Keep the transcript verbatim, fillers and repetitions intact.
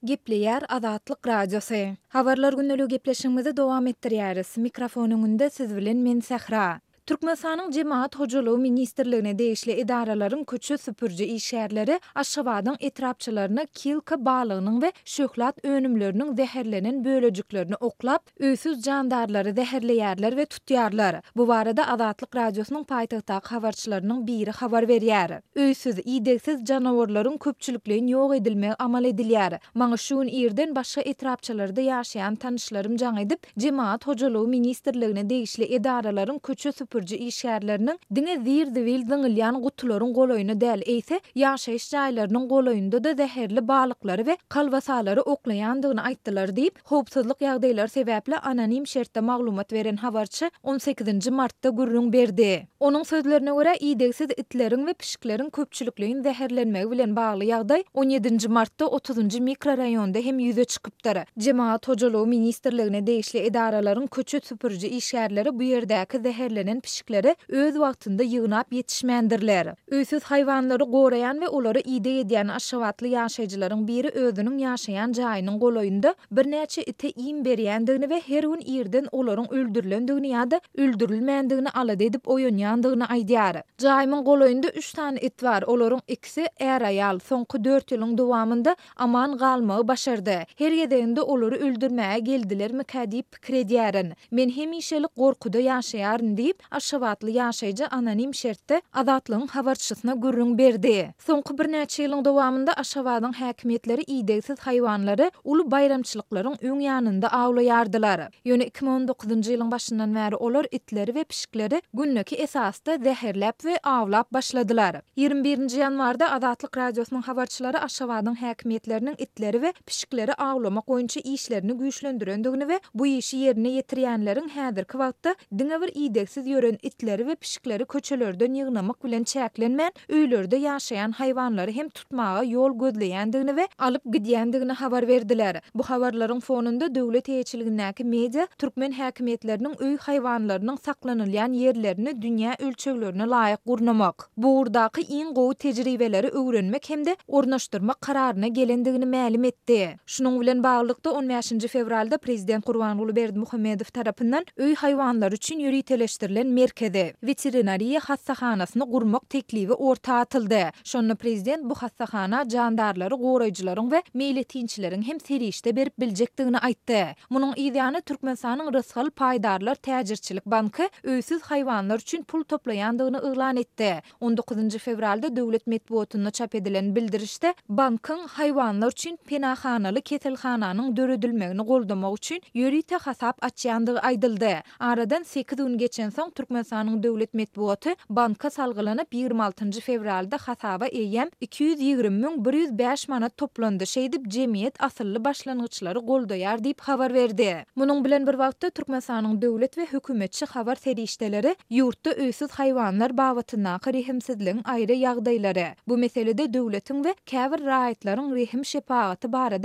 Gepleýär Azatlyk Radiosy. Habarlar gündeligi gepleşigimizi dowam etdirýäris. Mikrofon öňünde siz bilen men Sähra. Türkmenistanyň Jemagat hojalygy ministrligine degişli edaralaryň köçe süpüriji işgärleri Aşgabadyň etrapçalaryna kilka balygynyň we şöhlat önümleriniň zäherlenen bölejiklerini oklap, öýsüz jandarlary zäherleýärler we tutýarlar. Bu barada Azatlyk Radiosynyň paýtagtdaky habarçylarynyň biri habar berýär. Öýsüz, idegsiz janawarlaryň köpçülikleýin ýok edilmegi amal edilýär. Maňa şu gün irden başga etrapçalarda ýaşaýan tanyşlarym jaň edip, Jemagat hojalygy ministrligine degişli edaralaryň köçe süpüriji işgärleriniň diňe zir-zibil zyňylýan gutularyň golaýyna däl, eýse, ýaşaýyş jaýlarynyň golaýynda-da zäherli balyklary we kolbasalary oklaýandygyny aýtdylar diýip, howpsuzlyk ýagdaýlary sebäpli anonim şertde maglumat beren habarçy on sekizinji martda gürrüň berdi. Onuň sözlerine görä, idegsiz itleriň we pişikleriň köpçülikleýin zäherlenmegi bilen bagly ýagdaý on ýedinji martda otuzynjy mikroraýonda hem ýüze çykypdyr. Jemagat hojalygy ministrligine degişli edaralaryň köçe süpüriji işgärleri bu ýerdäki zäherlenen pişikleri öz wagtynda ýygnap ýetişmändirler. Öýsüz haýwanlary goraýan we olara ideg edýän aşgabatly ýaşaýjylaryň biri özüniň ýaşaýan jaýynyň golaýynda birnäçe ite iým berýändigini we her gün irden olaryň öldürilendigini ýa-da öldürilmändigini alada edip oýanýandygyny aýdýar. Jaýymyň golaýynda üç sany it bar, olaryň ikisi är-aýal, soňky dört ýylyň dowamynda aman galmagy başardy. Her gezeginde olary öldürmäge geldilermikä diýip pikir edýärin. Men hemişelik gorkuda ýaşaýaryn diýip, aşgabatly ýaşaýjy anonim şertde Azatlygyň habarçysyna gürrüň berdi. Soňky birnäçe ýylyň dowamynda Aşgabadyň häkimiýetleri idegsiz haýwanlary uly baýramçylyklaryň öň ýanynda awlaýardylar. Ýöne iki müň on dokuzynjy ýylyň başyndan bäri olar itleri we pişikleri gündeki esasda zäherläp we awlap başladylar. Ýigrimi birinji ýanwarda Azatlyk Radiosynyň habarçylary Aşgabadyň häkimiýetleriniň itleri we pişikleri awlamak boýunça işlerini güýçlendirendigini we bu işi ýerine ýetirýänleriň häzirki wagtda diňe bir idegsiz ýören itleri we pişikleri köçelerden ýygnamak bilen çäklenmän, öýlerde ýaşaýan haýwanlary hem tutmaga ýol gözleýändigini we alyp gidýändigini habar berdiler. Bu habarlaryň fonunda döwlet eýeçiligindäki media türkmen häkimiýetleriniň öý haýwanlarynyň saklanylýan ýerlerini dünýä ölçeglerine laýyk gurnamak, bu ugurdaky iň gowy tejribeleri öwrenmek hem-de ornaşdyrmak kararyna gelendigini mälim etdi. Şunuň bilen baglylykda on bäşinji fewralda prezident Gurbanguly Berdimuhamedow tarapyndan öý haýwanlary üçin ýöriteleşdirilen merkezi, weterinariýa hassahanasyny gurmak teklibi orta atyldy. Şonda prezident bu hassahana jandarlary goraýjylaryň we meýletinçileriň hem serişde berip biljekdigini aýtdy. Munuň yzýany Türkmenistanyň Rysgal paýdarlar täjirçilik banky öýsüz haýwanlar üçin pul toplaýandygyny yglan etdi. On dokuzynjy fewralda döwlet metbugatynda çap edilen bildirişde bankyň haýwanlar üçin penahanaly keselhananyň döredilmegini goldamak üçin ýörite hasap açýandygy aýdyldy. Aradan sekiz gün geçensoň Türkmenistanyň döwlet metbugaty banka salgylanyp ýigrimi altynjy fewralda hasaba eýýäm iki ýüz ýigrimi müň bir ýüz bäş manat toplandy, şeýdip jemgyýet asylly başlangyçlary goldaýar diýip habar berdi. Munuň bilen bir wagtda Türkmenistanyň döwlet we hökümetçi habar serişdeleri ýurtda öýsüz haýwanlar babatyndaky rehimsizligiň aýry ýagdaýlary, bu meselede döwletiň we käbir raýatlaryň rehim-şepagaty barada